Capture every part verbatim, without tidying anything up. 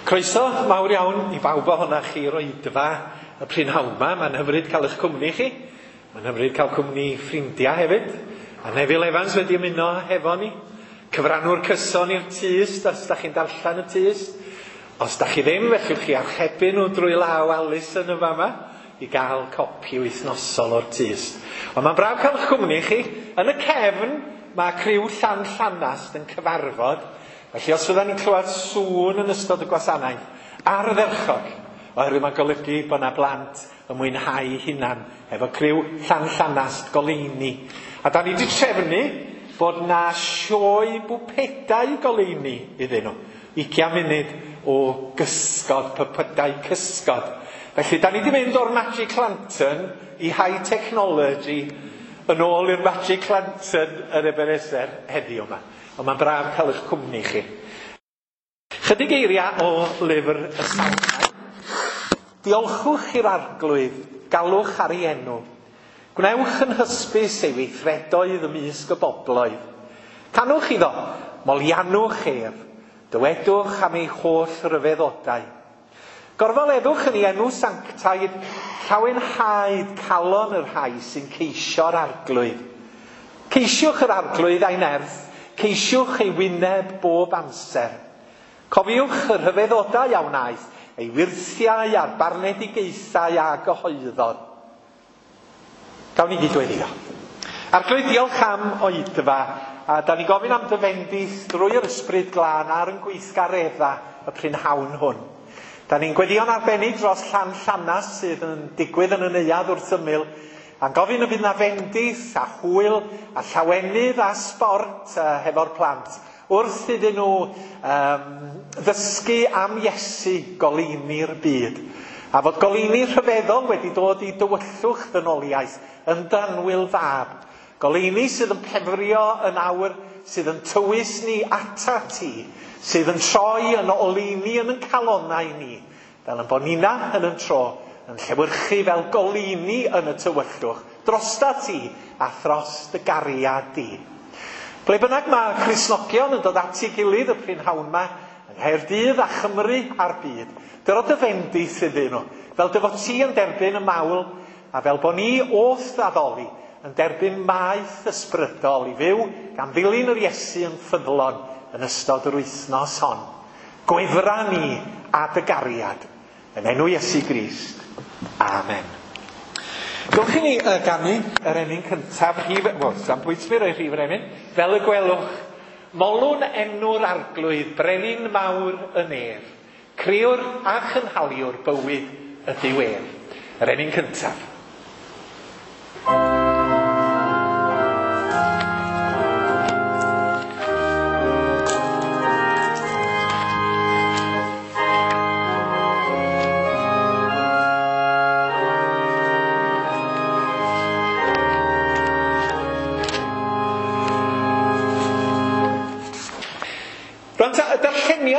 Croeso mawr iawn i bawb ohonoch chi i'r oedfa y prynhawn 'ma. Mae'n hyfryd cael eich cwmni chi. Mae'n hyfryd cael cwmni ffrindiau hefyd. A Neville Evans wedi ymuno hefo ni. Cyfrannwr cyson i'r Tyst, os da chi'n darllen y Tyst. Os da chi ddim, fellwch chi archebu nhw drwy law Alison yn fama i gael copi wythnosol o'r Tyst. Ond mae'n braf cael eich cwmni chi. Yn y cefn, mae criw Llan Llanast yn cyfarfod. Felly os fyddan ni'n clywed sŵn yn ystod y gwasanaeth, ardderchog, oherwydd mae'n golygu bod yna blant yn mwynhau hunan efo criw Llan Llanast goleuni. A da ni wedi trefnu bod na sioe bwpedau goleuni iddyn nhw. Ugian munud o gysgod, pypydau cysgod. Felly da ni wedi mynd o'r Magic Lantern i high technology yn ôl i'r Magic Lantern yn Ebenezer heddiw yma. Ond mae'n braf cael eich cwmni chi. Chydig eiriau o lyfr y Salmau. Diolchwch i'r Arglwydd, galwch ar ei enw. Gwnewch yn hysbys ei weithredoedd ymysg y bobloedd. Canwch iddo, moliannwch ef, dywedwch am ei holl ryfeddodau. Gorfoleddwch yn ei enw sanctaidd, llawenhaed calon y rhai sy'n ceisio'r Arglwydd. Ceisiwch yr Arglwydd a'i nerth, ceisiwch ei wyneb bob amser. Cofiwch y rhyfeddodau a wnaeth, ei wyrthiau a'r barnedigaethau a gyhoeddodd. Gawn ni gydweddïo. Arglwydd, diolch am oedfa, a da ni gofyn am dy fendith drwy'r Ysbryd Glân ar yn gweithgaredda y prynhawn hwn. Da ni'n gweddïo'n arbennig dros Llan Llanast sydd yn digwydd yn y neuadd wrth ymyl, a'n gofyn y bydd na fendith a hwyl a llawenydd a sbort uh, hefo'r plant wrth iddyn nhw um, ddysgu am Iesu goleuni'r byd. A fod goleuni rhyfeddol wedi dod i dywyllwch ddynoliaeth yn danwyl fab. Goleuni sydd yn pefrio yn awr, sydd yn tywys ni ata ti, sydd yn troi yn oleuni yn yn calonnau ni, fel yn bod nina yn yn tro, yn llewyrchu fel goleuni yn y tywyllwch, drosta ti a thros dy gariad di. Ble bynnag mae Cristnogion yn dod at ei gilydd y prynhawn yma, yng Nghaerdydd a Chymru a'r byd, dyro dy fendith iddyn nhw, fel dy fod ti yn derbyn y mawl, a fel bod ni wrth addoli yn derbyn maeth ysbrydol i fyw gan ddilyn yr Iesu yn ffyddlon yn ystod yr wythnos hon. Gwefra ni a dy gariad, yn enw Iesu Grist. Amen. Gowch i ni uh, ganu yr emyn cyntaf, rhif, wel, sa'm pwynt mi roi rhif yr emyn, fel y gwelwch. Molwn enw'r Arglwydd, brenin mawr y nef, crëwr a chynhaliwr bywyd ydyw ef. Yr emyn cyntaf.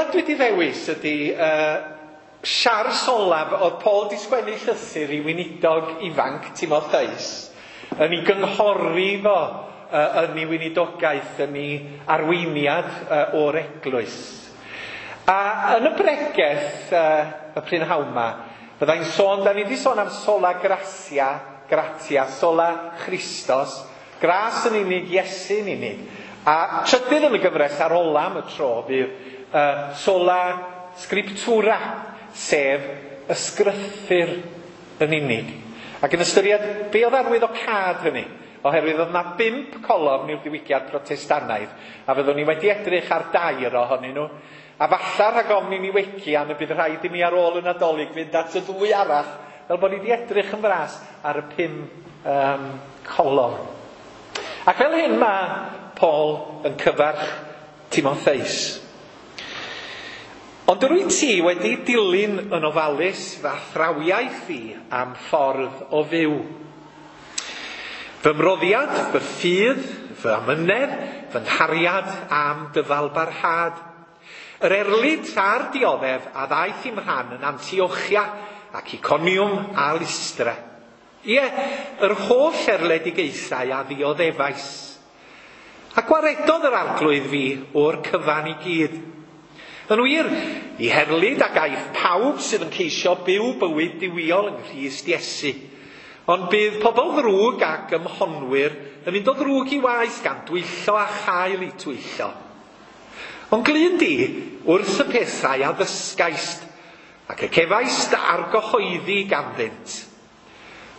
Dwi wedi ddewis ydy uh, siars olaf oedd Paul di sgwennu llythyr i weinidog ifanc Timotheus yn ei gynghori fo uh, yn ei weinidogaeth, yn ei arweiniad uh, o'r eglwys. A yn y bregeth uh, y prynhawn 'ma, byddai'n sôn, da ni wedi sôn am sola gratia, gratia, sola Christos, gras yn unig, Iesu yn unig. A trydydd yn y gyfres ar ola am y tro fydd Uh, sola scriptura, sef ysgrythur yn unig. Ac yn ystyried be oedd arwyddocâd hynny, oherwydd oedd yna bump colofn i'r diwygiad Protestannaidd, a fyddwn ni wedi edrych ar dair ohonyn nhw, a falla rhag ofn i ni wegian y bydd rhaid i mi ar ôl y Nadolig fynd at y ddwy arall, fel bod ni wedi edrych yn fras ar y pum um, colofn. Ac fel hyn mae Paul yn cyfarch Timotheus. Ond yr wyt ti wedi dilyn yn ofalus fy athrawiaeth i am ffordd o fyw. Fy mroddiad, fy ffydd, fy amynedd, fy nghariad am dyfalbarhad. Yr erlid a'r dioddef a ddaeth i'm rhan yn Antiochia ac Iconium a Lystra. Ie, yr holl erledigaethau a ddioddefais. A gwaredodd yr Arglwydd fi o'r cyfan i gyd. Yn wir, i herlid ac aiff pawb sydd yn ceisio byw bywyd duwiol yng Nghrist Iesu. Ond bydd pobl ddrwg ac ymhonwyr yn mynd o ddrwg i waith gan dwyllo a chael eu twyllo. Ond glyn di wrth y pethau a ddysgaist, ac y cefaist argyhoeddi ganddynt.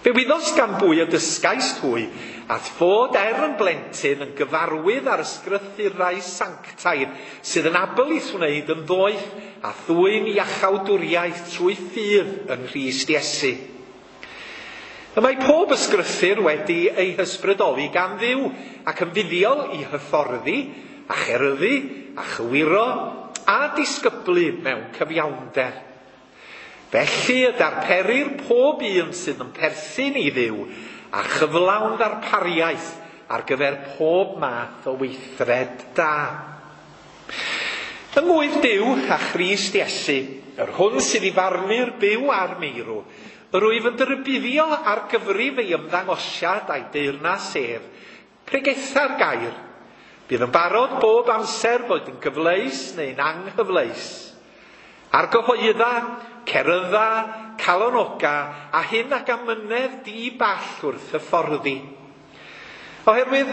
Fe wyddost gan bwy y dysgaist hwy, at fod er yn blentyn yn gyfarwydd ar ysgrythurau sanctaidd sydd yn abl i'th wneud yn ddoeth a thwyn iachawdwriaeth trwy ffydd yng Nghrist Iesu. Y mae pob ysgrythur wedi ei hysbrydoli gan Dduw ac yn fuddiol i hyfforddi a cheryddu a chywiro a disgyblu mewn cyfiawnder. Felly y darperir pob un sydd yn perthyn i Dduw a chyflawn ddarpariaeth ar gyfer pob math o weithred da. Yng ngwydd Duw a Christ Iesu, yr hwn sydd i farnu'r byw a'r meirw, yr wyf yn dyrybuddio ar gyfrif ei ymddangosiad a'i deyrnas ef, pregetha'r gair. Bydd yn barod bob amser boed yn gyfleus neu'n anghyfleus. Argyhoedda, cerydda, calonoga, a hyn ac amynedd di ball wrth hyfforddi. Oherwydd,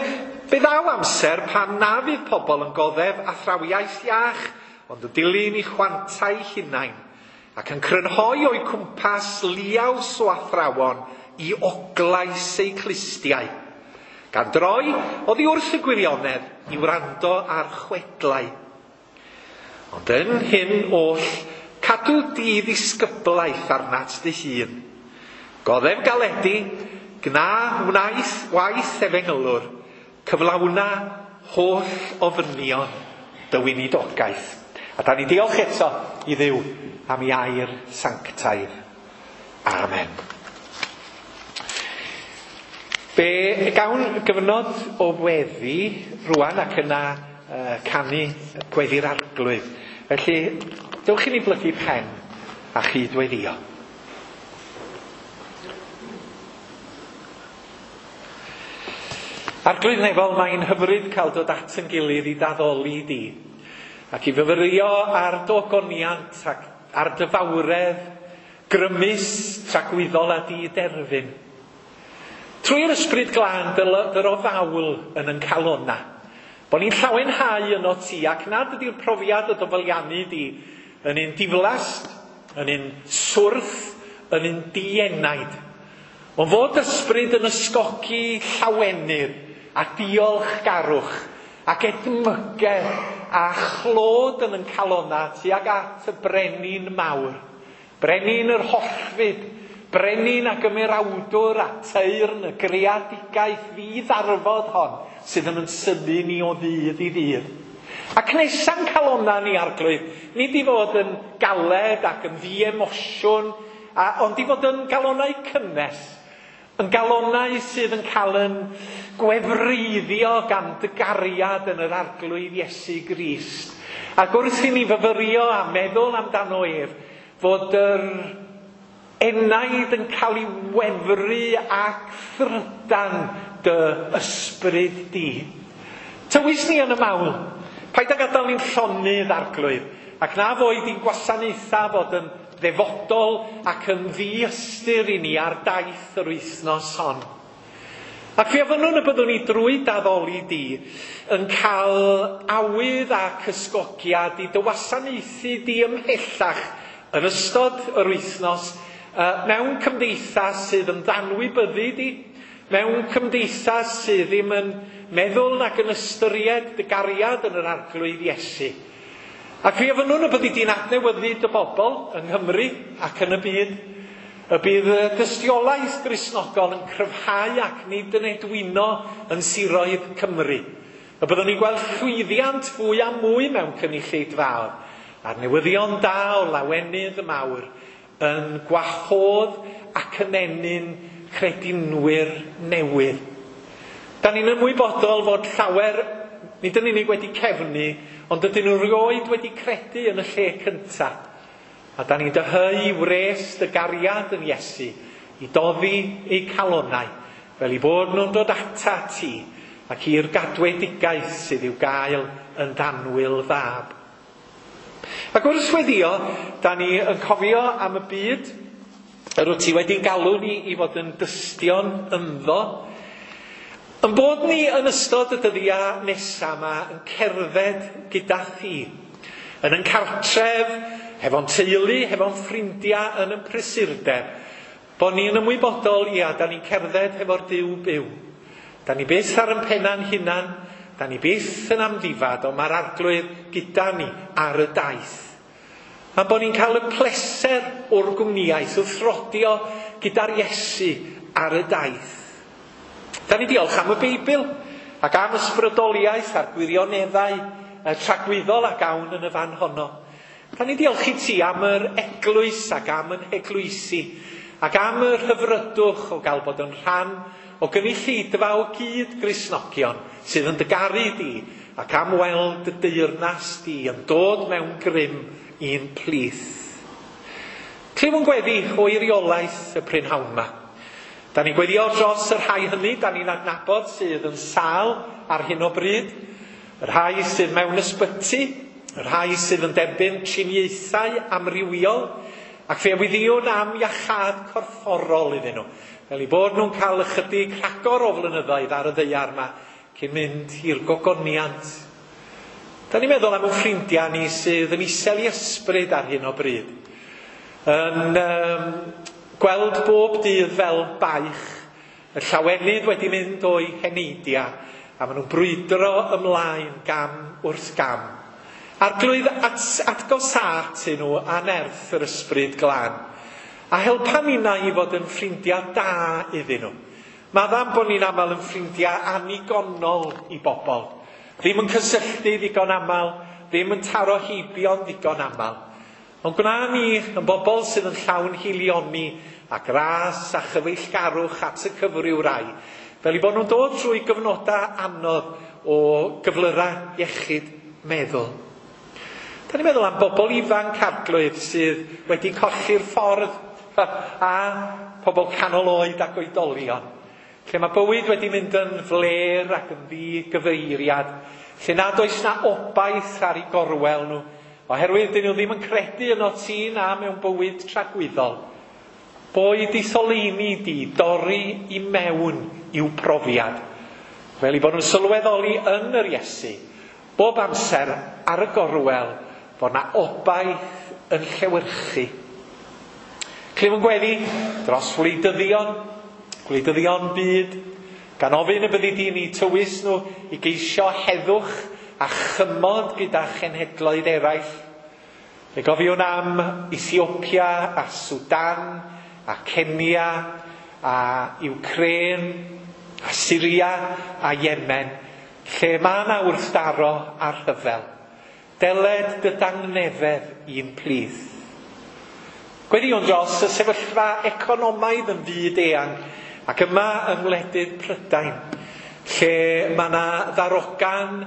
fe ddaw amser pan na fydd pobl yn goddef athrawiaeth iach, ond yn dilyn i chwantau hunain, ac yn crynhoi o'u cwmpas liaws o athrawon i oglais eu clustiau, gan droi oddi wrth y gwirionedd i wrando ar chwedlau. Ond yn hyn oll, cadw di ddisgyblaeth arnat dy hun. Goddef galedu, gna wnaeth waith efengylwr, cyflawna holl ofynion dy weinidogaeth. A da ni diolch eto i Dduw am ei air sanctaidd. Amen. Fe gawn gyfnod o weddi rwan ac yna uh, canu gweddi'r Arglwydd. Felly, dewch i ni blygu pen a chydweddio. Arglwydd nefol, mae'n hyfryd cael dod at yn gilydd i daddoli di, ac i fyfyrio ar dy ogoniant ac ar dy fawredd grymus, tragwyddol a di-derfyn. Trwy'r ysbryd glân dyro fawl yn yn calona, bo ni'n llawenhau yno ti, ac nad ydy'r profiad o dyfaliannu di yn un diflast, yn un swrth, yn un dienaid. Ond fod ysbryd yn ysgogi llawenydd a diolchgarwch ac edmygedd a chlod yn yn calona tuag at y brenin mawr, brenin yr hollfyd, brenin ac ymerawdwr a teyrn y greadigaeth ddi-ddarfod hon sydd yn synnu ni o ddydd i ddydd. Ac nesa'n calona ni, Arglwydd, nid i fod yn galed ac yn ddi-emosiwn, a, ond i fod yn galonau cynnes, yn galonau sydd yn cael yn gwefreiddio gan dy gariad yn yr Arglwydd Iesu Grist. Ac wrth i ni fyfyrio a meddwl amdano ef, fod yr enaid yn cael ei wefru ac thrydan dy ysbryd di. Tywys ni yn y mawl. Paid â gadael ni'n llonydd, Arglwydd, ac na foed i'n gwasanaethau fod yn ddefodol ac yn ddiystyr i ni ar daith yr wythnos hon. Ac fe ofynnwn y byddwn ni drwy daddoli di yn cael awydd ac ysgogiad i dy wasanaethu di ymhellach yn ystod yr wythnos uh, mewn cymdeithas sydd yn danwybyddu di, mewn cymdeithas sydd ddim yn meddwl nac yn ystyried dy gariad yn yr Arglwydd Iesu. Ac fe ofynnwn y byddi di'n adnewyddu dy bobl yng Nghymru ac yn y byd, y bydd y dystiolaeth Gristnogol yn cryfhau ac nid yn edwino yn siroedd Cymru. Y byddwn ni'n gweld llwyddiant fwy a mwy mewn cynulleidfaoedd, a'r newyddion da o lawenydd y mawr yn gwahodd ac yn ennyn credinwyr newydd. Da ni'n ymwybodol fod llawer, nid yn unig wedi cefnu, ond ydyn nhw rioed wedi credu yn y lle cyntaf. A da ni'n dyheu wres dy gariad yn Iesu i doddi eu calonau, fel i bod nhw'n dod ata ti ac i'r gadwedigaeth sydd i'w gael yn danwyl fab. Ac wrth weddio, da ni yn cofio am y byd yr wyt ti wedi'n galw ni i fod yn dystion ynddo. Yn bod ni yn ystod y dyddiau nesaf yma yn cerdded gyda thi. Yn yn cartref, hefo'n teulu, hefo'n ffrindiau yn yn prysurdeb. Bod ni'n ymwybodol, ia, da ni'n cerdded hefo'r Duw byw. Da ni byth ar yn penna'n hunan, da ni byth yn amddifad, ond mae'r Arglwydd gyda ni ar y daith. A bod ni'n cael y pleser o'r gwmnïaeth wrth rodio gyda'r Iesu ar y daith. Da ni diolch am y Beibl ac am ysbrydoliaeth a'r gwirioneddau tragwyddol a gawn yn y fan honno. Da ni diolch i ti am yr eglwys ac am yn heglwysi ac am yr hyfrydwch o gael bod yn rhan o gynulleidfa o gyd Gristnogion sydd yn dy garu di ac am weld dy deyrnas di yn dod mewn grym i'n plith. Clyw yn gweddi o eiriolaeth y prynhawn yma. Da ni'n gweddio dros y rhai hynny da ni'n adnabod sydd yn sâl ar hyn o bryd, y rhai sydd mewn ysbyty, y rhai sydd yn derbyn triniaethau amrywiol, ac fe weddïwn am iachâd corfforol iddyn nhw, fel eu bod nhw'n cael ychydig rhagor o flynyddoedd ar y ddaear yma cyn mynd i'r gogoniant. Da ni'n meddwl am ein ffrindiau ni sydd yn isel i ysbryd ar hyn o bryd. Yn um, gweld bob dydd fel baich, y llawenydd wedi mynd o'i heneidiau, a maen nhw'n brwydro ymlaen gam wrth gam. Arglwydd at, atgosât i nhw a nerth yr ysbryd glân, a helpa ninnau i fod yn ffrindiau da iddyn nhw. Maddam bod ni'n aml yn ffrindiau annigonol i bobl. Ddim yn cysylltu ddigon aml, ddim yn taro heibio'n ddigon aml. Ond gwna ni yn bobl sydd yn llawn hilioni a gras a chyfeillgarwch at y cyfryw rai, fel i bod nhw'n dod trwy gyfnodau anodd o gyflyrau iechyd meddwl. Da ni'n meddwl am bobl ifanc, Arglwydd, sydd wedi colli'r ffordd a pobl canol oed ac oedolion, lle mae bywyd wedi mynd yn fler ac yn ddigyfeiriad, lle nad oes na obaith ar eu gorwel nhw, oherwydd dyn nhw ddim yn credu yno ti na mewn bywyd tragwyddol. Boed i soleini di dorri i mewn i'w profiad, fel i bod nhw'n sylweddoli yn yr Iesu, bob amser ar y gorwel, fod na obaith yn llewyrchu. Clyw yn gweddi dros wleidyddion, gwleidyddion byd, gan ofyn y byddi di ni tywys nhw i geisio heddwch a chymod gyda chenhedloedd eraill. Fe gofiwn am Ethiopia a Sudan a Kenya a Ukraine a Syria a Yemen, lle mae yna wrthdaro a rhyfel. Deled dy dangnefedd i'n plith. Gweddïwn dros y sefyllfa economaidd yn fyd eang ac yma yng ngwledydd Prydain, lle mae yna ddarogan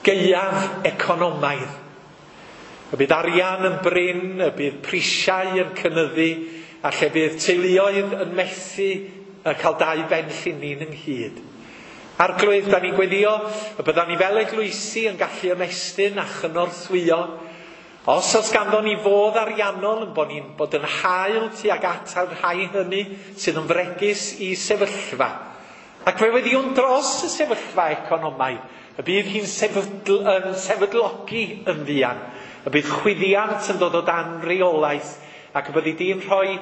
gaeaf economaidd. Y bydd arian yn brin, y bydd prisiau yn cynyddu, a lle bydd teuluoedd yn methu cael dau ben llinyn ynghyd. Arglwydd, da ni'n gweddio y byddan ni fel eglwysi yn gallu ymestyn a chynorthwyo. Os oes ganddo ni fodd ariannol yn bod ni'n bod yn hael tuag at y rhai hynny sydd yn fregus i sefyllfa. Ac fe weddiwn dros y sefyllfa economaidd, y bydd hi'n sefydl, yn sefydlogi yn fuan, y bydd chwyddiant yn dod o dan reolaeth, ac y byddi di'n rhoi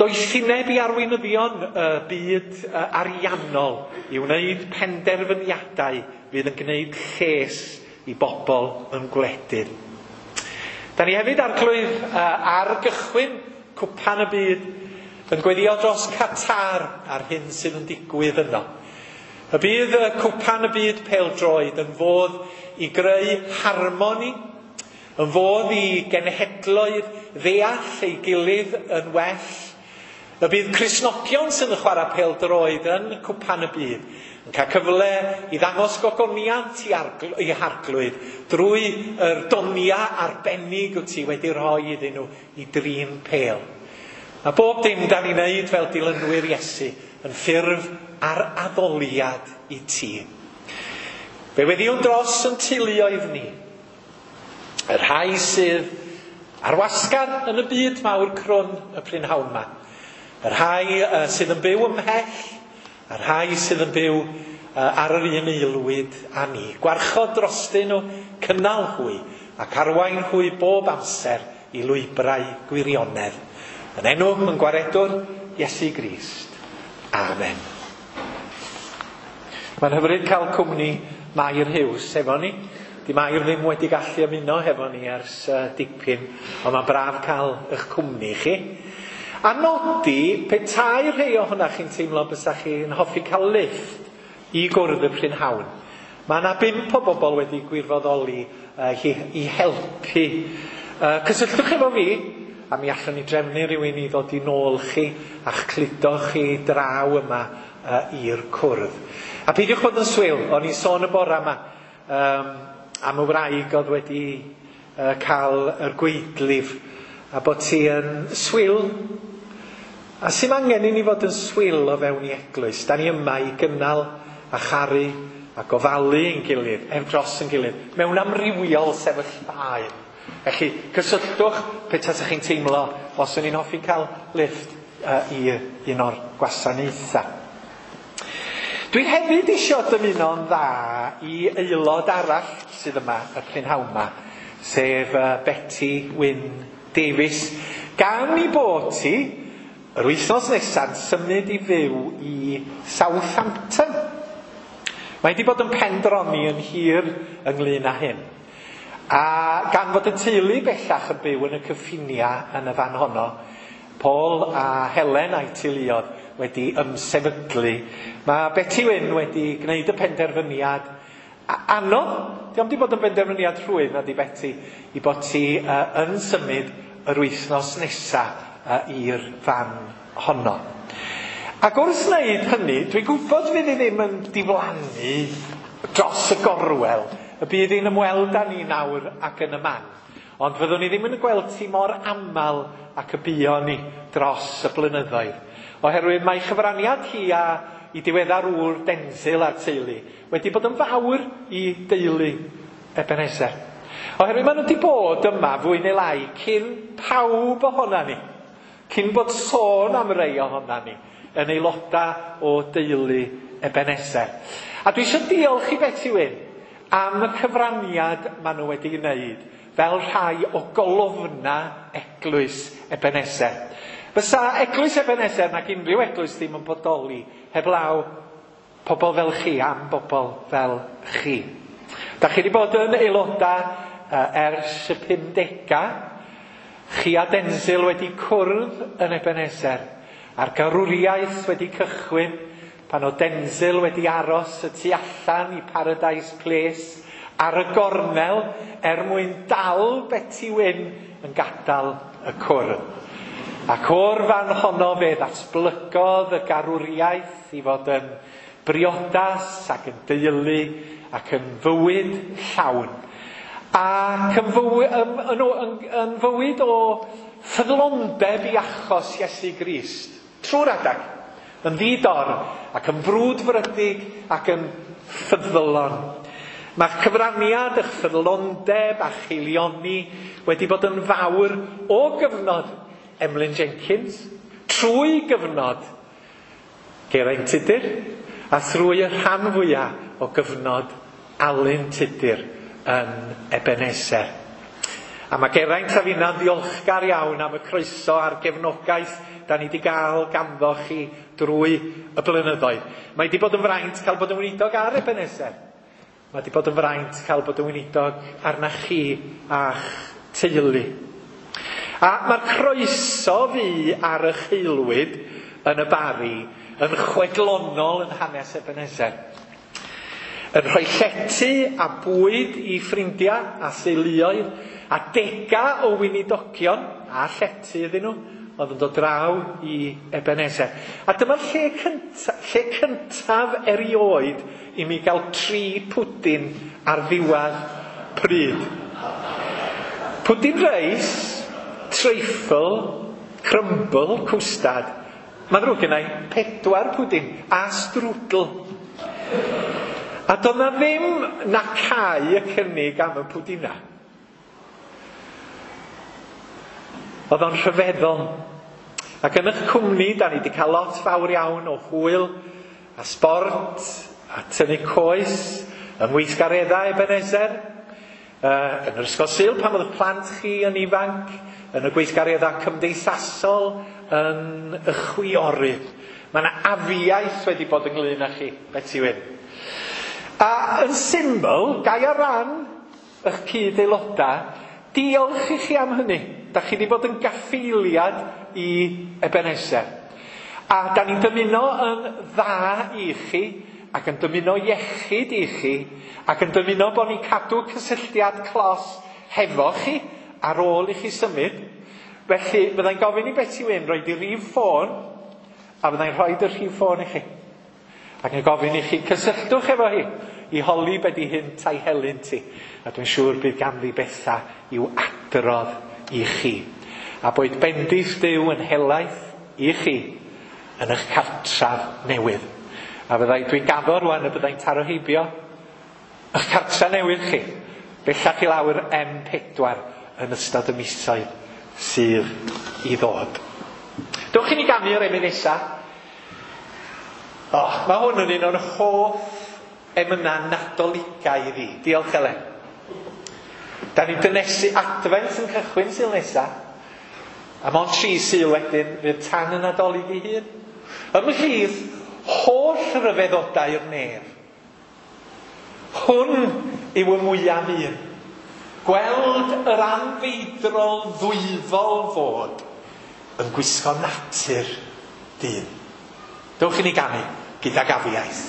doethineb i arweinyddion y byd ariannol i wneud penderfyniadau fydd yn gwneud lles i bobl yn gwledydd. Da ni hefyd, Arglwydd, ar gychwyn cwpan y byd yn gweddio dros Qatar a'r hyn sydd yn digwydd yno. Y bydd y cwpan y byd pêl-droed yn fodd i greu harmoni, yn fodd i genhedloedd ddeall ei gilydd yn well. Y bydd Cristnogion sydd yn chwarae pêl-droed yn cwpan y byd yn cael cyfle i ddangos gogoniant i, argl- i Harglwydd drwy yr donia arbennig wyt ti wedi rhoi iddyn nhw i drin pêl. Mae bob dim da ni'n neud fel dilynwyr Iesu yn ffurf ar addoliad i ti. Fe weddiwn dros yn teuluoedd ni. Y rhai sydd ar wasgar yn y byd mawr crwn y prynhawn yma. Y rhai uh, sydd yn byw ymhell, y rhai sydd yn byw uh, ar yr un aelwyd â ni. Gwarchod drostyn nhw, cynnal hwy ac arwain hwy bob amser i lwybrau gwirionedd. Yn enw yn gwaredwr Iesu Grist. Amen. Mae'n hyfryd cael cwmni Mair Hughes efo ni. Di Mair ddim wedi gallu ymuno hefo ni ers uh, dipyn, ond mae'n braf cael eich cwmni chi. A nodi, petai rhai ohonoch chi'n teimlo bysa chi'n hoffi cael lift i gwrdd y prynhawn. Mae yna bump o bobl wedi gwirfoddoli uh, i, i helpu. Uh, cysylltwch efo fi, a mi allwn ni drefnu rhywun i ddod i nôl chi a'ch cludo chi draw yma uh, i'r cwrdd. A peidiwch bod yn swil, o'n i'n sôn y bora yma um, am y wraig oedd wedi uh, cael yr gweidlif, a bod ti yn swil. A sy'n angen i ni fod yn swil o fewn i eglwys. Da ni yma i gynnal a charu a gofalu ein gilydd, ef dros ein gilydd, mewn amrywiol sefyllfaoedd. Felly, cysylltwch pe tasach chi'n teimlo os o'n i'n hoffi cael lift uh, i un o'r gwasanaethau. Dwi hefyd eisiau dymuno'n dda i aelod arall sydd yma y prynhawn yma, sef uh, Betty Wyn Davies. Gan i bod ti, yr wythnos nesa'n symud i fyw i Southampton. Mae wedi bod yn pendroni yn hir ynglyn â hyn. A gan fod y teulu bellach yn byw yn y cyffiniau yn y fan honno, Paul a Helen a'i teuluodd wedi ymsefydlu. Mae Betty Wyn wedi gwneud y penderfyniad anodd, dio'm wedi bod yn benderfyniad rhwydd na di Betty, i bod ti uh, yn symud yr wythnos nesa uh, i'r fan honno. Ac wrth wneud hynny, dwi'n gwybod fydd hi ddim yn diflannu dros y gorwel, y bydd hi'n ymweld â ni nawr ac yn y man. Ond fyddwn ni ddim yn gweld ti mor aml ac y buon ni dros y blynyddoedd. Oherwydd mae chyfraniad hi a i diweddar ŵr Denzil a'r teulu wedi bod yn fawr i deulu Ebenezer. Oherwydd maen nhw wedi bod yma fwy neu lai cyn pawb ohona ni. Cyn bod sôn am rei ohona ni yn aelodau o deulu Ebenezer. A dwi eisiau diolch i Betty Wyn am y cyfraniad maen nhw wedi wneud fel rhai o golofna eglwys Ebenezer. Fysa eglwys Ebenezer nag unrhyw eglwys ddim yn bodoli heblaw pobl fel chi am bobl fel chi. Da chi wedi bod yn aelodau uh, ers y pumdegau. Chi a Denzil wedi cwrdd yn Ebenezer, a'r garwriaeth wedi cychwyn pan o Denzil wedi aros y tu allan i Paradise Place ar y gornel er mwyn dal Betty Wyn yn gadael y cwrdd. Ac o'r fan honno fe ddatblygodd y garwriaeth i fod yn briodas ac yn deulu ac yn fywyd llawn. Ac yn fywyd, yn, yn, yn, yn fywyd o ffyddlondeb i achos Iesu Grist. Trwy'r adag, yn ddi-dor ac yn frwdfrydig ac yn ffyddlon. Mae'ch cyfraniad, eich ffyddlondeb a cheilioni wedi bod yn fawr o gyfnod Emlyn Jenkins, trwy gyfnod Geraint Tudur, a thrwy y rhan fwyaf o gyfnod Alun Tudur yn Ebenezer. A mae Geraint a finna'n ddiolchgar iawn am y croeso a'r gefnogaeth da ni wedi gael ganddo chi drwy y blynyddoedd. Mae wedi bod yn fraint cael bod yn weinidog ar Ebenezer. Mae wedi bod yn fraint cael bod yn weinidog arna chi a'ch teulu. A mae'r croeso fi ar y cheilwyd yn y Bari yn chwedlonol yn hanes Ebenezer. Yn rhoi llety a bwyd i ffrindiau a theuluoedd a dega o weinidogion a llety iddyn nhw oedd yn dod draw i Ebenezer. A dyma'r lle cynta, lle cyntaf erioed i mi gael tri pwdin ar ddiwedd pryd. Pwdin reis, treifl, crumble, cwstad. Mae'n ddrwg gennai pedwar pwdin a strwdl. A doedd na ddim na cau y cynnig am y pwdina. Oedd o'n rhyfeddol. Ac yn eich cwmni, da ni wedi cael lot fawr iawn o hwyl a sbort a tynnu coes yng ngweithgareddau Ebenezer. Uh, yn yr ysgol Sul pan oedd y plant chi yn ifanc, yn y gweithgareddau cymdeithasol, yn y chwiorydd. Mae yna afiaeth wedi bod ynglyn â chi, Beti Wyn. A yn syml, gai ar ran eich cyd-aelodau, diolch i chi am hynny. Da chi wedi bod yn gaffeiliad i Ebenezer. A da ni'n dymuno yn dda i chi, ac yn dymuno iechyd i chi, ac yn dymuno bod ni'n cadw cysylltiad clos hefo chi ar ôl i chi symud. Felly, fyddai'n gofyn i Beti Wyn roed i rif ffôn, a fyddai'n rhoi y rhif ffôn i chi. Ac yn gofyn i chi cysylltwch efo hi, i holi be di hynt a'i helynt hi. A dwi'n siŵr bydd ganddi bethau i'w adrodd i chi. A boed bendith Duw yn helaeth i chi yn eich cartref newydd. A fyddai, dwi'n gaddo rwan y byddai'n taro heibio eich cartref newydd chi. Bellach i lawr M pedwar yn ystod y misoedd sydd i ddod. Dewch i ni ganu'r emyn nesa. Oh, mae hwn yn un o'n hoff emynau Nadoligaidd i fi. Diolch Elen. Da ni'n dynesu Adfent yn cychwyn Sul nesa. A mond tri Sul wedyn fydd tan y Nadolig ei hun. Ymhlith holl ryfeddodau'r nef. Hwn yw y mwyaf un. Gweld yr anfeidrol ddwyfol fod yn gwisgo natur dyn. Dewch i ni ganu gydag afiaeth.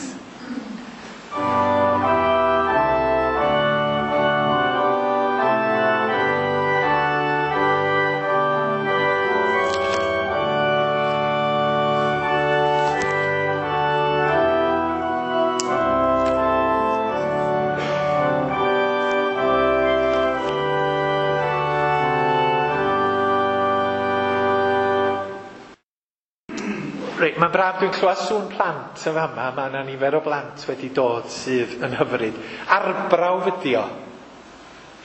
Reit, mae'n braf dwi'n clywed sŵn plant yn fama. Mae yna nifer o blant wedi dod sydd yn hyfryd. Arbrawf ydi o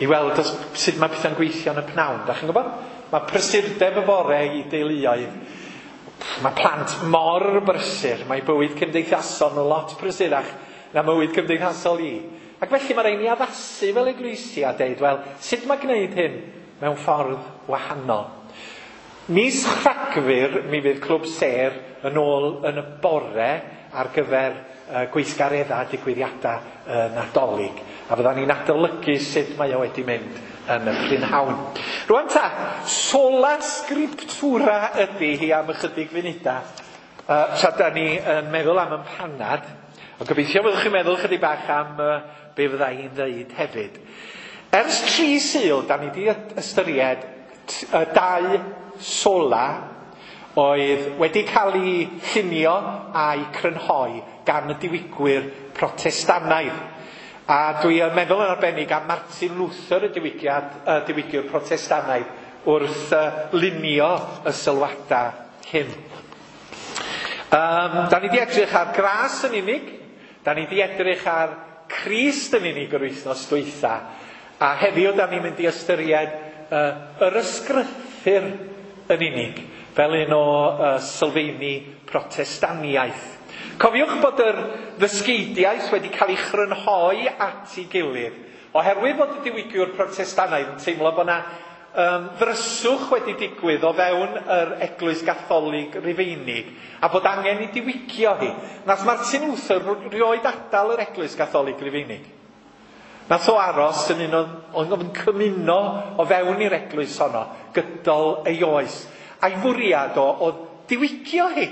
i weld os, sut mae pethau'n gweithio yn y pnawn. Da chi'n gwybod? Mae prysurdeb y bore i deuluoedd. Mae plant mor brysur. Mae bywyd cymdeithasol nhw lot prysurach na bywyd cymdeithasol i. Ac felly mae rhaid ni addasu fel eglwysi a deud, wel, sut mae gwneud hyn mewn ffordd wahanol? Mis Rhagfyr mi fydd Clwb Sêr yn ôl yn y bore ar gyfer uh, gweithgareddau a digwyddiadau uh, Nadolig. A fyddan ni'n adolygu sut mae o wedi mynd yn y prynhawn. Rwan ta, sola scriptura ydy hi am ychydig funudau. Uh, tra da ni yn meddwl am yn panad, ond gobeithio fyddwch chi'n meddwl chydig bach am uh, be fydda i'n ddeud hefyd. Ers tri Sul, da ni wedi ystyried uh, dau sola oedd wedi cael ei llunio a'i crynhoi gan y diwygwyr Protestannaidd. A dwi yn meddwl yn arbennig am Martin Luther, y diwygiad, y diwygiwr Protestannaidd, wrth uh, lunio y sylwadau hyn. Um, da ni wedi edrych ar gras yn unig, da ni wedi edrych ar Crist yn unig yr wythnos dwytha, a heddiw da ni'n mynd i ystyried uh, yr ysgrythur yn unig, fel un o uh, sylfeini Protestaniaeth. Cofiwch bod yr ddysgeidiaeth wedi cael ei chrynhoi at ei gilydd, oherwydd bod y diwygiwr Protestannaidd yn teimlo bod yna um, ddryswch wedi digwydd o fewn yr Eglwys Gatholig Rufeinig, a bod angen i diwygio hi. Nath Martin Luther rioed adael yr Eglwys Gatholig Rufeinig. Nath o aros yn un o'n o'n cymuno o fewn i'r eglwys honno gydol ei oes. A'i fwriad o oedd diwygio hi.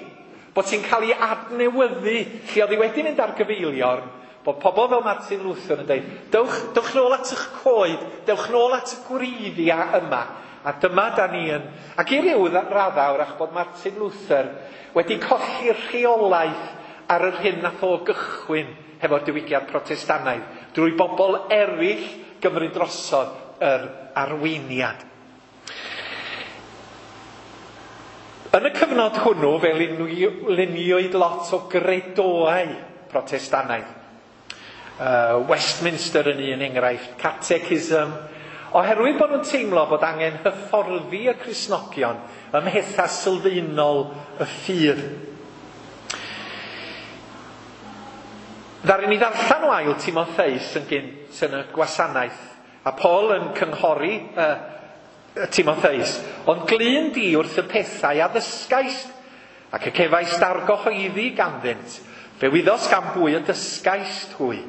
Bod ti'n cael ei adnewyddu, lle oedd hi wedi mynd ar gyfeiliorn, bod pobl fel Martin Luther yn dweud, dewch, dewch nôl at eich coed, dewch nôl at y gwreiddiau yma. A dyma da ni yn... Ac i ryw raddau, wrach bod Martin Luther wedi colli rheolaeth ar yr hyn nath o gychwyn hefo'r diwygiad Protestannaidd, drwy bobl eraill gymryd drosodd yr arweiniad. Yn y cyfnod hwnnw, fe luniwyd lot o gredoau Protestannaidd. Uh, Westminster yn un enghraifft, Catechism, Oherwydd bod nhw'n teimlo bod angen hyfforddi y Cristnogion ym mhethau sylfaenol y ffydd. Ddaru ni ddarllen o ail Timotheus yn gynt yn y gwasanaeth, a Paul yn cynghori uh, Timotheus, ond glyn di wrth y pethau a ddysgaist, ac y cefaist argyhoeddi ganddynt, fe wyddos gan bwy y dysgaist hwy.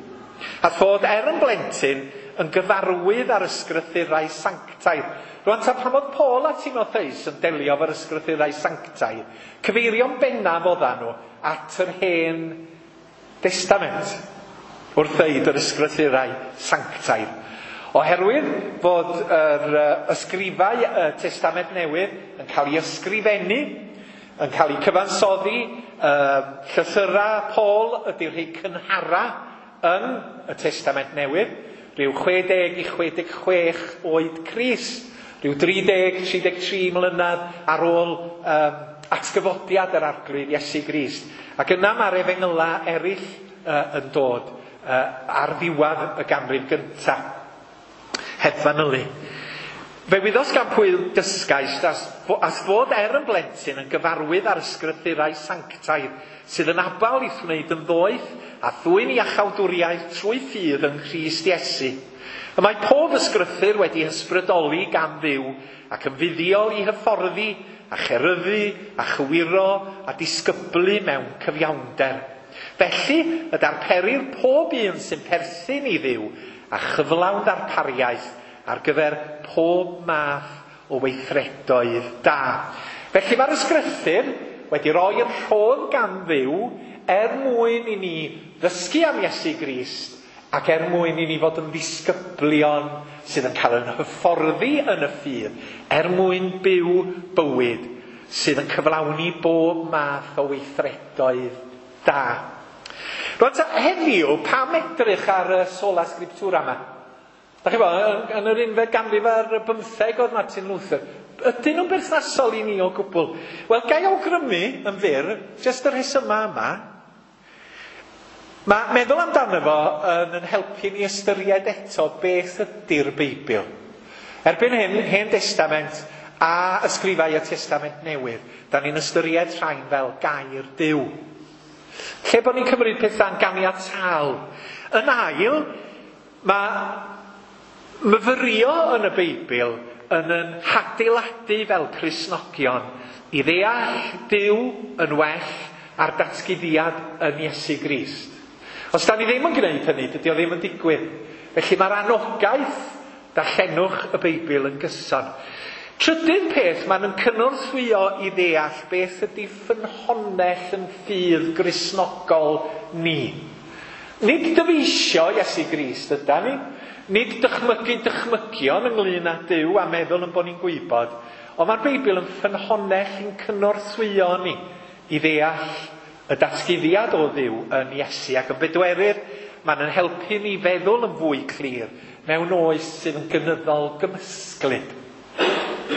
A fod er yn blentyn yn gyfarwydd ar ysgrythurau sanctaidd. Rwan ta pan oedd Paul a Timotheus yn delio efo'r ysgrythurau sanctaidd, cyfeirio'n bennaf oeddan nhw at yr Hen Destament wrth ddeud yr ysgrythurau sanctaidd. Oherwydd fod yr ysgrifau y Testament Newydd yn cael ei ysgrifennu, yn cael ei cyfansoddi, llythyrau Paul ydy'r rhai cynhara yn y Testament Newydd, rhyw chwe deg i chwe deg chwech oed Crist, rhyw dri deg, tri deg tri mlynedd ar ôl um, atgyfodiad yr Arglwydd Iesu Grist. Ac yna mae'r efengyla eraill uh, yn dod uh, ar ddiwedd y ganrif gyntaf, heb fanylu. Fe wyddos gan pwy dysgaist as, as fod er yn blentyn yn gyfarwydd ar ysgrythurau sanctaidd sydd yn abal i'th wneud yn ddoeth a thwyn iachawdwriaeth trwy ffydd yng Nghrist Iesu. Y mae pob ysgrythur wedi ysbrydoli gan Dduw ac yn fuddiol i hyfforddi a cheryddu a chywiro a disgyblu mewn cyfiawnder. Felly y darperir pob un sy'n perthyn i Dduw a chyflawn darpariaeth ar gyfer pob math o weithredoedd da. Felly mae'r ysgrythur wedi rhoi yn rhodd gan Dduw er mwyn i ni ddysgu am Iesu Grist ac er mwyn i ni fod yn ddisgyblion sydd yn cael yn hyfforddi yn y ffydd, er mwyn byw bywyd sydd yn cyflawni bob math o weithredoedd da. Rwan ta, heddiw, pam edrych ar y sola scriptura yma? Da chi bo, yn yr unfed ganrif ar bymtheg oedd Martin Luther. Ydyn nhw'n berthnasol i ni o gwbl? Wel, gai awgrymu yn fyr, jyst y rhesymau yma. Mae meddwl amdano fo yn, yn helpu ni ystyried eto beth ydy'r Beibl. Erbyn hyn, Hen Destament a ysgrifau y Testament Newydd, da ni'n ystyried rhain fel gair Duw. Lle bod ni'n cymryd pethau'n ganiataol. Yn ail, mae myfyrio yn y Beibl yn yn hadeiladu fel Cristnogion i ddeall Duw yn well a'r datguddiad yn Iesu Grist. Os da ni ddim yn gwneud hynny, dydy o ddim yn digwydd. Felly mae'r anogaeth darllenwch y Beibl yn gyson. Trydydd peth, mae'n yn cynorthwyo i ddeall beth ydy ffynhonnell yn ffydd Gristnogol ni. Nid dyfeisio Iesu Grist yda ni, nid dychmygu dychmygion ynglyn â Duw a meddwl yn bod ni'n gwybod, ond mae'r Beibl yn ffynhonnell yn cynorthwyo ni i ddeall y datguddiad o Dduw yn Iesu. Ac yn bedwerydd, mae'n yn helpu ni feddwl yn fwy clir mewn oes sydd yn gynyddol gymysglyd.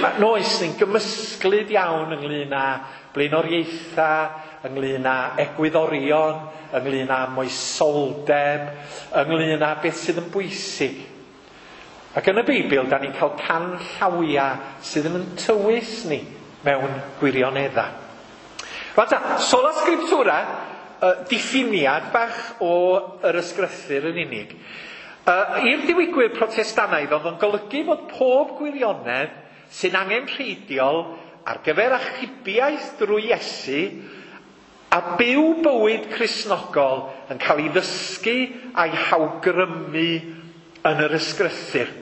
Mae'n oes sy'n gymysglyd iawn ynglyn â blaenoriaethau, ynglyn â egwyddorion, ynglyn â moesoldeb, ynglyn â beth sydd yn bwysig. Ac yn y Beibl, da ni'n cael canllawiau sydd yn tywys ni mewn gwirioneddau. Rwan ta, sola scriptura, uh, diffiniad bach o yr ysgrythur yn unig. Uh, i'r diwygwyr Protestannaidd oedd yn golygu fod pob gwirionedd sy'n angenrheidiol ar gyfer achubiaeth drwy Iesu a byw bywyd Cristnogol yn cael ei ddysgu a'i hawgrymu yn yr ysgrythur.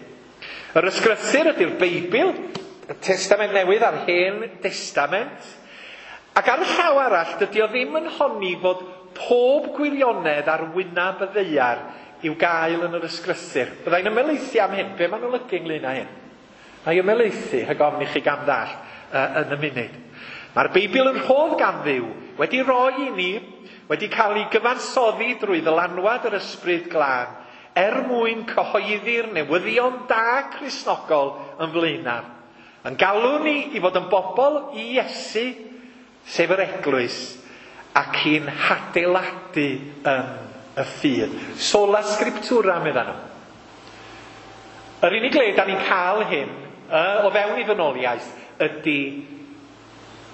Yr ysgrythur ydy'r Beibl, y Testament Newydd a'r Hen Destament. Ac ar y llaw arall, dydy o ddim yn honni fod pob gwirionedd ar wyneb y ddaear i'w gael yn yr ysgrythur. Byddai'n ymhelaethu am hyn. Be ma'n olygu ynglyn â hyn? Mae ymhelaethu, rhag ofn i chi gam ddall uh, yn y munud. Mae'r Beibl yn rhodd gan Dduw, wedi roi i ni, wedi cael ei gyfansoddi drwy ddylanwad yr Ysbryd Glân, er mwyn cyhoeddi'r newyddion da Cristnogol yn flaenaf. Yn galw ni i fod yn bobl i Iesu, sef yr Eglwys, ac i'n hadeiladu yn y ffydd. Sola scriptura, medda nhw. Yr unig le da ni'n cael hyn uh, o fewn i ddynoliaeth ydy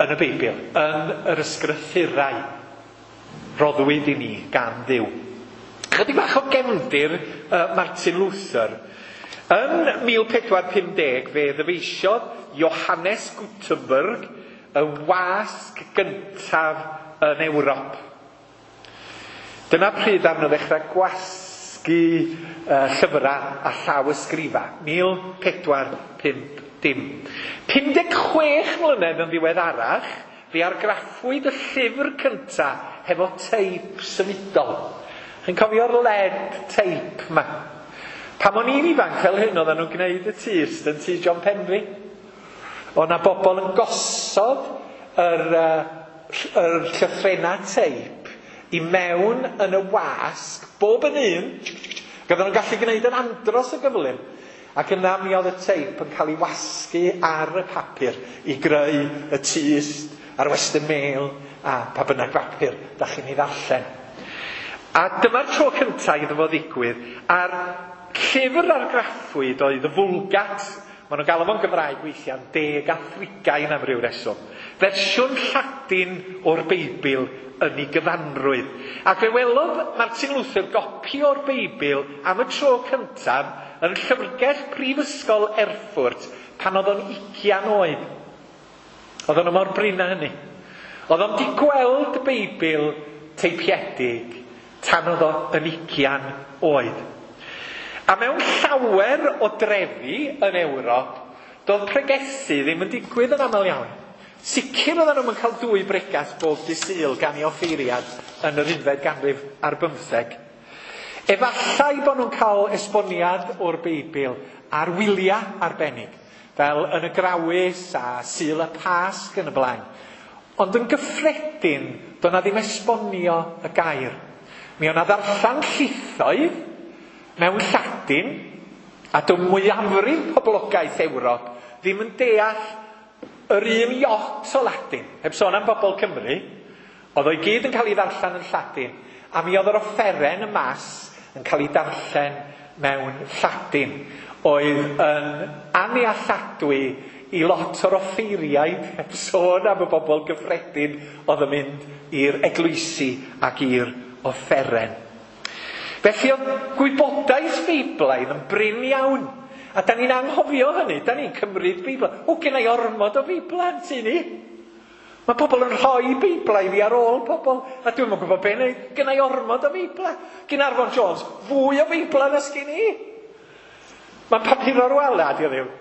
yn y Beibl, yn yr ysgrythurau roddwyd i ni gan Dduw. Chydig bach o gefndir uh, Martin Luther. Yn mil pedwar pum deg fe ddyfeisiodd Johannes Gutenberg y wasg gyntaf yn Ewrop. Dyna pryd arno ddechrau gwasgu uh, llyfrau a llaw ysgrifa, mil pedwar pump dim. pum deg chwech mlynedd yn ddiweddarach, fe argraffwyd y llyfr cyntaf hefo teip symudol. Chi'n cofio'r lead tape ma? Pan o'n i'n ifanc fel hyn, oedden nhw'n gwneud y tyst yn tŷ John Penry. Oedd 'na bobl yn gosod yr, uh, yr llythrennau teip i mewn yn y wasg, bob yn un, ac oedden nhw'n gallu gwneud yn andros o gyflym. Ac yna mi oedd y teip yn cael ei wasgu ar y papur i greu y tyst a'r Western Mail a pa bynnag bapur da chi'n ei ddarllen. A dyma'r tro cyntaf iddo fo ddigwydd, a'r llyfr argraffwyd oedd y Vulgate. Maen nhw'n galw fo'n Gymraeg weithiau'n deg a thrigain am ryw reswm. Fersiwn Lladin o'r Beibl yn ei gyfanrwydd. Ac fe welodd Martin Luther gopi o'r Beibl am y tro cyntaf yn llyfrgell Prifysgol Erfurt pan oedd o'n ugian oed. Oedd o'n mor brin â hynny. Oedd o'n di gweld Beibl teipiedig tan oedd o yn ugian oed. A mewn llawer o drefi yn Ewrop, doedd pregethu ddim yn digwydd yn aml iawn. Sicr oedden nhw'n cael dwy bregath bob dydd Sul gan ei offeiriad yn yr unfed ganrif ar bymtheg. Efallai bod nhw'n cael esboniad o'r Beibl ar wyliau arbennig, fel yn y Grawys a Sul y Pasg yn y blaen. Ond yn gyffredin, doedd 'na ddim esbonio y gair. Mi oedd 'na ddarllen llithoedd mewn Lladin, a doedd mwyafrif poblogaeth Ewrop ddim yn deall yr un iot o Ladin. Heb sôn am bobl Cymru, oedd o'i gyd yn cael ei ddarllen yn Lladin, a mi oedd yr offeren y mas yn cael ei darllen mewn Lladin, oedd yn annealladwy i lot o'r offeiriaid, heb sôn am y bobl gyffredin oedd yn mynd i'r eglwysi ac i'r offeren. Felly oedd gwybodaeth Beiblaidd yn brin iawn. A da ni'n anghofio hynny, da ni'n cymryd Beibl. O, gen i ormod o Beiblau yn tŷ ni. Mae pobl yn rhoi Beiblau i fi ar ôl pobl, a dwi'm yn gwybod be wneud. Gen i ormod o Beiblau. Gen Arfon Jones, fwy o Beiblau na sgyn i. Mae'n papuro'r wala, di o ddim.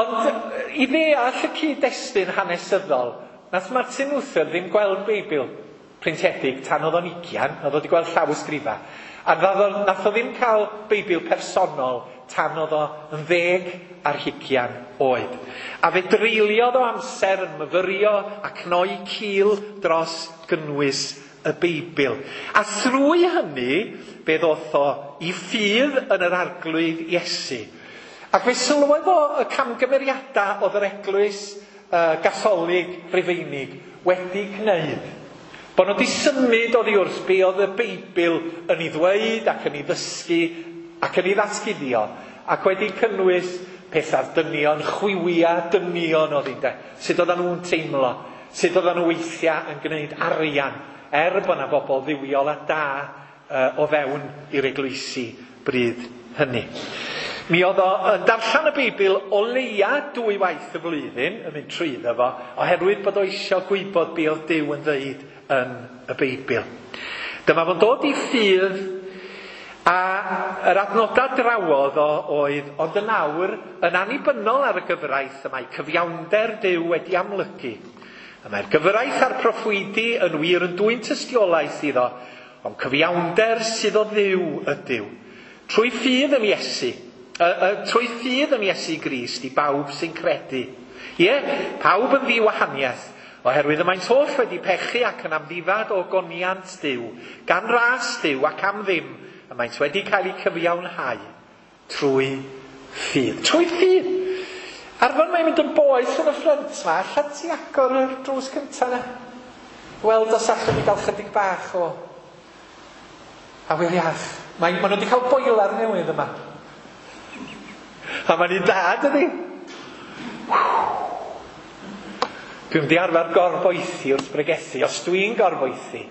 Ond i ddeall y cyd-destun hanesyddol, nath Martin Luther ddim gweld Beibl printiedig tan oedd o'n ugian, oedd o wedi gweld llaw ysgrifa. A nath o ddim cael Beibl personol tan oedd o yn ddeg ar hugian oed. A fe dreuliodd o amser yn myfyrio a cnoi cil dros gynnwys y Beibl. A thrwy hynny, fe ddoth o i ffydd yn yr Arglwydd Iesu. Ac fe sylwodd o y camgymeriadau oedd yr eglwys uh, Gatholig Rufeinig wedi gwneud. Bod nhw wedi symud oddi wrth be oedd y Beibl yn ei ddweud ac yn ei ddysgu ac yn ei ddatguddio, ac wedi cynnwys pethau dynion, chwiwia dynion oedd hi'n de. Sut oedden nhw'n teimlo, sut oedden nhw weithiau yn gwneud arian, er bod yna bobl dduwiol a da uh, o fewn i'r eglwysi bryd hynny. Mi oedd o yn darllen y Beibl o leia dwy waith y flwyddyn, yn mynd trwyddo fo, oherwydd bod o eisiau gwybod be oedd Duw yn ddeud yn y Beibl. Dyma fo'n dod i ffydd, a yr adnodau drawodd o oedd, ond yn awr, yn annibynnol ar y gyfraith, y mae cyfiawnder Duw wedi amlygu. Y mae'r gyfraith a'r proffwydi yn wir yn dwyn tystiolaeth iddo, ond cyfiawnder sydd o Dduw ydyw. Trwy ffydd yn Iesu, y, y, trwy ffydd yn Iesu Grist i bawb sy'n credu. Ie, pawb yn ddiwahaniaeth, oherwydd y maent holl wedi pechu ac yn amddifad o goniant Duw, gan ras Duw ac am ddim, y maent wedi cael eu cyfiawnhau trwy ffydd. Trwy ffydd! Arfon mae'n mynd yn boeth yn y ffrynt ma, allan ti agor yr drws cyntaf na? Weld os allwn ni gael chydig bach o awyr iach. Mae, maen nhw wedi cael boiler newydd yma. A mae'n un da, dydi? Dwi'n mynd i arfer gorboethi wrth bregethu. Os dwi'n gorboethi,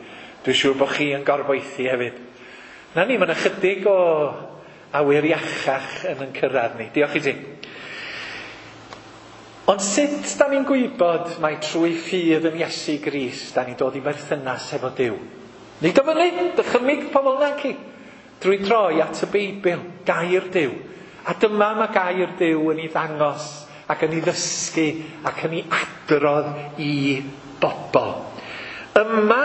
dwi'n siŵr bod chi yn gorboethi hefyd. Na ni, mae'n ychydig o awyr iachach yn yn cyrraedd ni. Diolch i ti. Ond sut da ni'n gwybod mai trwy ffydd yn Iesu Grist da ni'n dod i berthynas efo Duw? Nid o fyny, dychymyg pobl naci. Drwy droi at y Beibl, gair Duw. A dyma mae gair Duw yn ei ddangos ac yn ei ddysgu ac yn ei adrodd i bobl. Yma,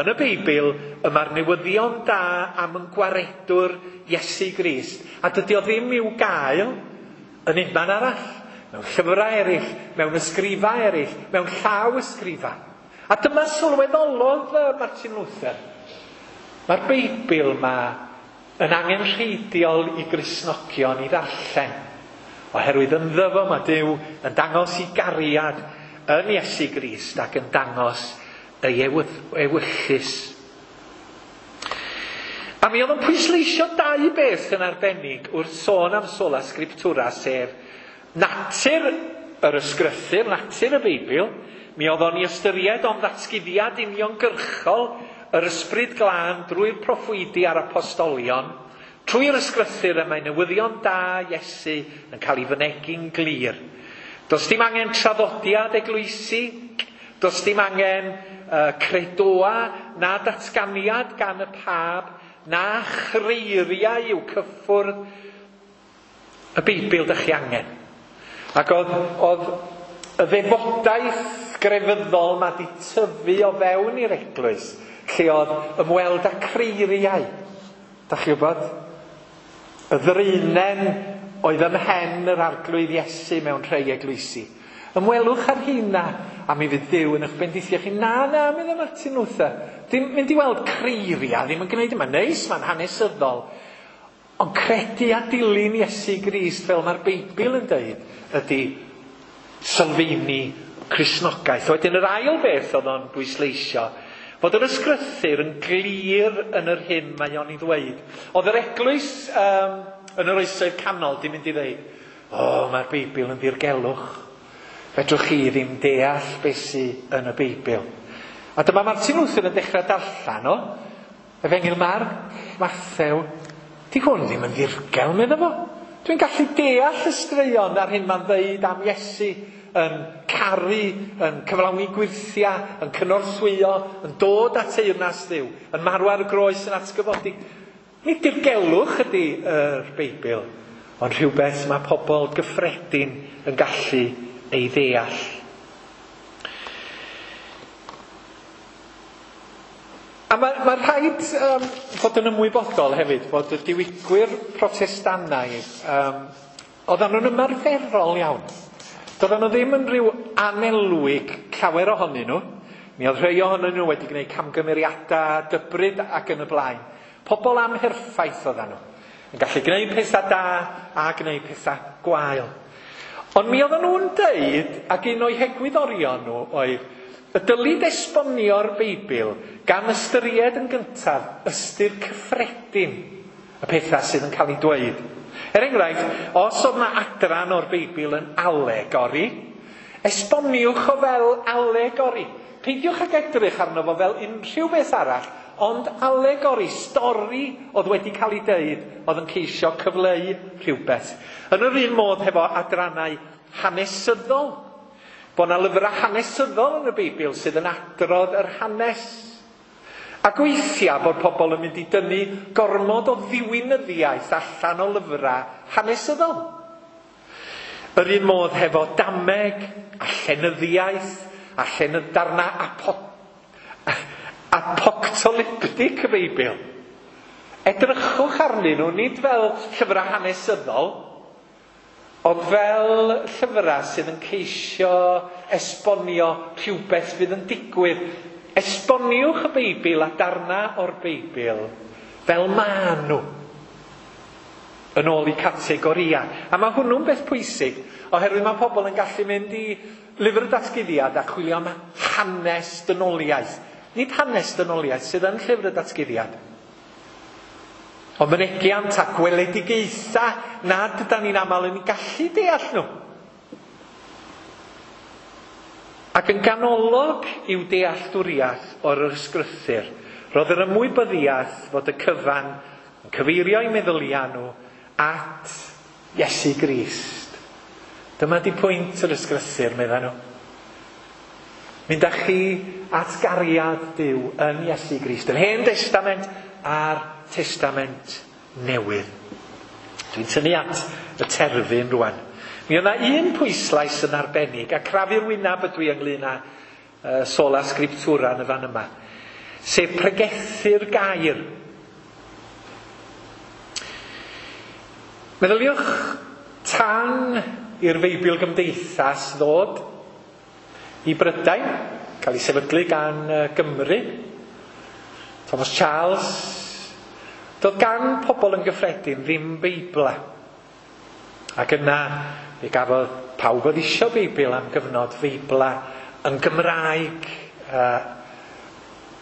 yn y Beibl, y mae'r newyddion da am yn gwaredwr Iesu Grist. A dydy o ddim i'w gael yn unman arall. Mewn llyfrau eraill, mewn ysgrifau eraill, mewn llaw ysgrifau. A dyma sylweddolodd Martin Luther. Mae'r Beibl yma yn angenrheidiol i Gristnogion i ddarllen. Oherwydd ynddo fo mae Duw yn dangos ei gariad yn Iesu Grist ac yn dangos ei ewyllys. A mi oedd yn pwysleisio dau beth yn arbennig wrth sôn am sola scriptura, sef natur yr ysgrythur, natur y Beibl. Mi oedd o'n ei ystyried o'n ddatguddiad uniongyrchol yr ysbryd glân drwy'r proffwydi a'r apostolion. Trwy'r ysgrythur y mae newyddion da Iesu yn cael ei fynegi'n glir. Does dim angen traddodiad eglwysi, does dim angen uh, credoa na datganiad gan y pab, na chreiriau i'w cyffwrdd. Y Beibl dych chi angen. Ac oedd, oedd y ddefodaeth grefyddol ma di tyfu o fewn i'r eglwys, lle oedd ymweld â creiriau. Dach chi wybod? Y ddraenen oedd ym mhen yr arglwydd Iesu mewn rhai eglwysi. Ymwelwch ar hynna, a mi fydd Duw yn eich bendithio chi. Na, na, meddai Martin Luther. Ddim mynd i weld creiriau, ddim yn gwneud yma. Neis, mae'n hanesyddol. Ond credu a dilyn Iesu Grist, fel mae'r Beibl yn dweud, ydy sylfaeni Cristnogaeth. Wedyn yr ail beth oedd o'n bwysleisio, fod yr ysgrythur yn glir yn yr hyn mae o'n ei ddweud. Oedd yr eglwys um, yn yr oesoedd canol di mynd i ddweud, o, oh, mae'r Beibl yn ddirgelwch. Fedrwch chi ddim deall beth sydd yn y Beibl. A dyma Martin Luther yn dechrau darllen o, Efengyl Marc, Mathew. Di hwn ddim yn ddirgel, meddai fo. Dwi'n gallu deall y straeon ar hyn mae'n dweud am Iesu yn caru, yn cyflawni gwyrthiau, yn cynorthwyo, yn dod at teyrnas Dduw, yn marw ar y groes, yn atgyfodi. Nid dirgelwch ydy yr Beibl, ond rhywbeth mae pobl gyffredin yn gallu ei ddeall. A mae, mae rhaid um, fod yn ymwybodol hefyd fod y diwygwyr Protestannaidd, um, oedden nhw'n ymarferol iawn. Doedden nhw ddim yn rhyw anelwig llawer ohonyn nhw. Mi oedd rhai ohonyn nhw wedi gwneud camgymeriadau, dybryd ac yn y blaen. Pobl amherffaith oedden nhw. Yn gallu gwneud pethau da a gwneud pethau gwael. Ond mi oedden nhw'n deud, ac un o'i hegwyddorion nhw oedd, y dylid esbonio'r Beibl gan ystyried yn gyntaf ystyr cyffredin y pethau sydd yn cael ei dweud. Er enghraifft, os oedd yna adran o'r Beibl yn alegori, esboniwch o fel alegori. Peidiwch ag edrych arno fo fel unrhyw beth arall, ond alegori, stori oedd wedi cael ei deud, oedd yn ceisio cyfleu rhywbeth. Yn yr un modd hefo adrannau hanesyddol. Bod yna lyfrau hanesyddol yn y Beibl sydd yn adrodd yr hanes. Ac weithiau bod pobl yn mynd i dynnu gormod o ddiwinyddiaeth allan o lyfrau hanesyddol. Yr un modd hefo dameg a llenyddiaeth a llenydd darna apo, apoctolyptic y Beibl. Edrychwch arnyn nhw nid fel llyfrau hanesyddol, ond fel llyfrau sydd yn ceisio esbonio rhywbeth fydd yn digwydd. Esboniwch y Beibl a darna o'r Beibl fel maen nhw, yn ôl i categoria. A mae hwnnw'n beth pwysig, oherwydd mae pobl yn gallu mynd i lyfr y datguddiad a chwilio am hanes dynoliaeth. Nid hanes dynoliaeth sydd yn llyfr y datguddiad. O mynegiant a gweledigaetha nad ydan ni'n aml yn gallu deall nhw. Ac yn ganolog i'w dealltwriaeth o'r ysgrythur, roedd yr ymwybyddiaeth fod y cyfan yn cyfeirio eu meddyliau nhw at Iesu Grist. Dyma di pwynt yr ysgrythur, medda nhw. Mynd â chi at gariad Duw yn Iesu Grist, yr Hen Testament a'r Testament Newydd. Dwi'n tynnu at y terfyn rwan. Mi oedd yna un pwyslais yn arbennig, a crafu'r wyneb ydw i ynglyn â uh, sola scriptura yn y fan yma, sef pregethu'r gair. Meddyliwch tan i'r Feibl Gymdeithas ddod i Brydain, cael ei sefydlu gan Gymru, Thomas Charles, doedd gan pobl yn gyffredin ddim Beibla. Ac yna, fe gafodd pawb oedd isio Beibl am gyfnod Feibla yn Gymraeg. Uh,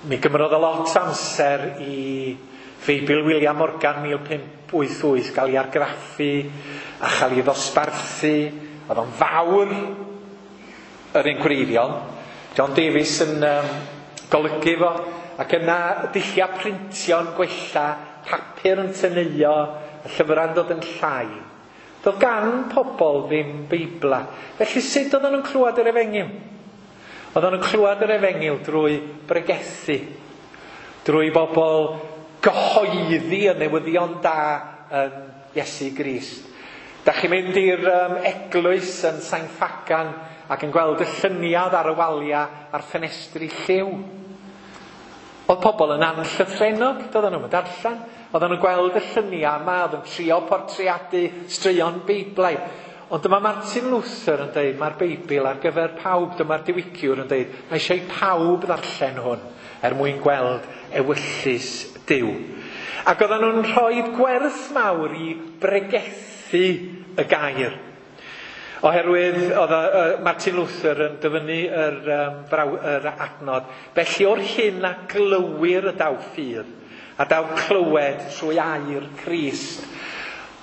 mi gymrodd o lot amser i Feibl William Morgan mil pump wyth wyth gael ei argraffu a chael ei ddosbarthu. Oedd o'n fawr yr un gwreiddiol. John Davies yn um, golygu fo. Ac yna dulliau printio'n gwella, papur yn tyneuo, y llyfrau'n dod yn llai. Doedd gan pobl ddim Beibla. Felly sut oedden nhw'n clywed yr efengyl? Oedden nhw'n clywed yr efengyl drwy bregethu, drwy bobl gyhoeddi y newyddion da yn Iesu Grist. Da chi'n mynd i'r um, eglwys yn Sain Ffagan ac yn gweld y lluniad ar y waliau a'r ffenestri lliw. Oedd pobl yn anllythrennog, doedden nhw'n darllen. Oedden nhw'n gweld y lluniau yma, oedd yn trio portreadu straeon Beiblaidd. Ond dyma Martin Luther yn dweud, mae'r Beibl ar gyfer pawb. Dyma'r diwygiwr yn dweud, mae eisiau pawb ddarllen hwn er mwyn gweld ewyllys Duw. Ac oedden nhw'n rhoi gwerth mawr i bregethu y gair. Oherwydd oedd Martin Luther yn dyfynnu yr, um, braw, yr adnod, felly o'r hyn a glywir y daw ffydd, a daw clywed trwy air Crist.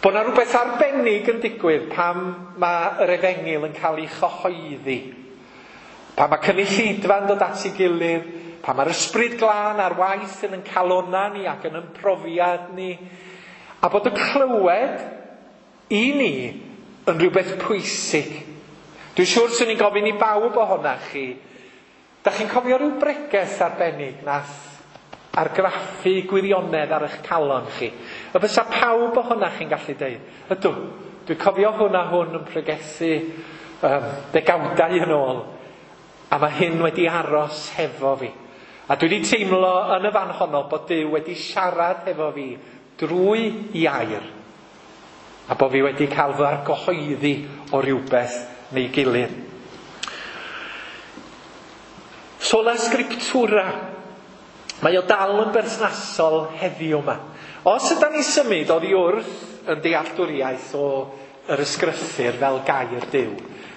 Bod yna rhywbeth arbennig yn digwydd pam mae yr efengyl yn cael ei chyhoeddi. Pan mae cynulleidfa'n dod at ei gilydd, pan mae'r ysbryd glân ar waith yn ein calonnau ni ac yn ein profiad ni, a bod y clywed i ni yn rhywbeth pwysig. Dwi'n siŵr swn i'n gofyn i bawb ohonach chi, da chi'n cofio rhyw bregeth arbennig nath argraffu gwirionedd ar eich calon chi? Y fysa pawb ohonach chi'n gallu deud, ydw, dwi'n cofio hwn a hwn yn pregethu um, degawdau yn ôl, a mae hyn wedi aros hefo fi. A dwi wedi teimlo yn y fan honno bod Duw wedi siarad hefo fi drwy i air, a bod fi wedi cael fy argyhoeddi o rywbeth neu gilydd. Sola scriptura. Mae o dal yn berthnasol heddiw yma. Os ydan ni symud oddi wrth yn dealltwriaeth o yr ysgrythur fel gair Duw,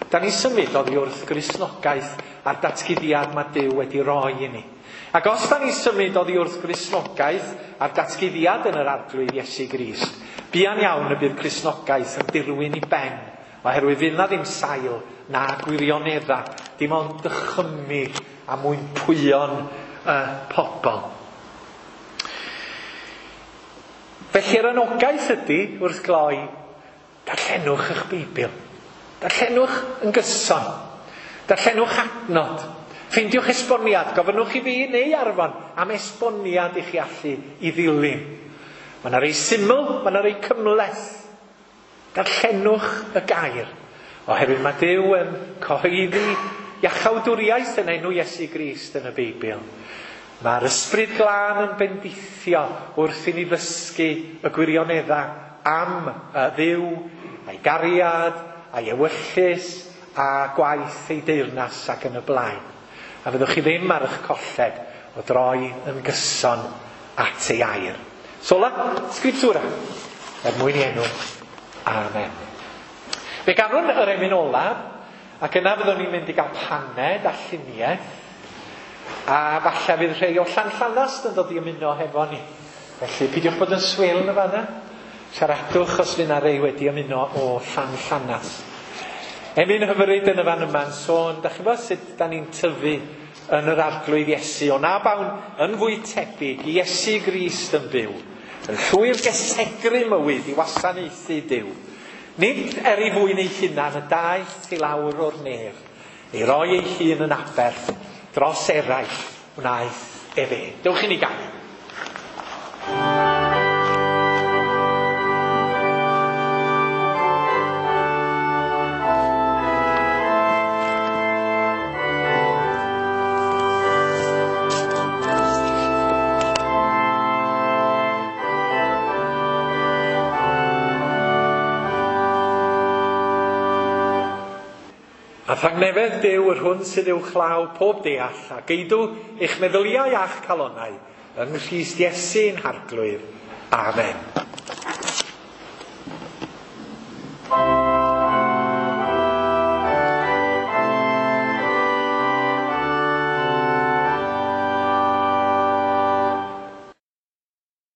da ni symud oddi wrth Gristnogaeth a'r datguddiad mae Duw wedi roi i ni. Ac os da ni symud oddi wrth Gristnogaeth a'r datguddiad yn yr Arglwydd Iesu Grist, buan iawn y bydd Cristnogaeth yn dirwyn i ben, oherwydd fydd na ddim sail na gwirionedda, dim ond dychymyg a mwyn pwyon y pobl. Felly yr anogaeth ydy, wrth gloi, darllenwch eich Beibl. Darllenwch yn gyson. Darllenwch adnod. Ffeindiwch esboniad. Gofynnwch i fi neu Arfon am esboniad i chi allu i ddilyn. Mae yna rei syml, mae yna rei cymhleth. Darllenwch y gair. Oherwydd mae Duw yn cyhoeddi iachawdwriaeth yn enw Iesu Grist yn y Beibl. Mae'r ysbryd glân yn bendithio wrth i ni ddysgu y gwirioneddau am Dduw, a'i gariad, a'i ewyllys, a gwaith ei deyrnas ac yn y blaen. A fyddwch chi ddim ar eich colled o droi yn gyson at ei air. Sola scriptura, er mwyn i enw. Amen. Fe ganwn yr emyn olaf, ac yna fyddwn ni'n mynd i gael paned a lluniaeth, a falle fydd rhai o Llanllanast yn dod i ymuno hefo ni. Felly, pidiwch bod yn swil yn y fanna. Siaradwch os fydd 'na rei wedi ymuno o Llanllanas. Emyn hyfryd yn y fan yma'n sôn, da chi'n gwybod sut da ni'n tyfu yn yr Arglwydd Iesu, o na bawn yn fwy tebyg i Iesu Grist yn byw, yn llwyr gysegru mywyd i wasanaethu Duw. Nid er ei fwyn ei hunan y daeth i lawr o'r nef, ei roi ei hun yn aberth dros eraill wnaeth efe. Dewch i ni ganu. A thangnefedd Duw yr hwn sydd uwchlaw pob deall, a geidw eich meddyliau a'ch calonnau yng Nghrist Iesu'n Harglwydd. Amen.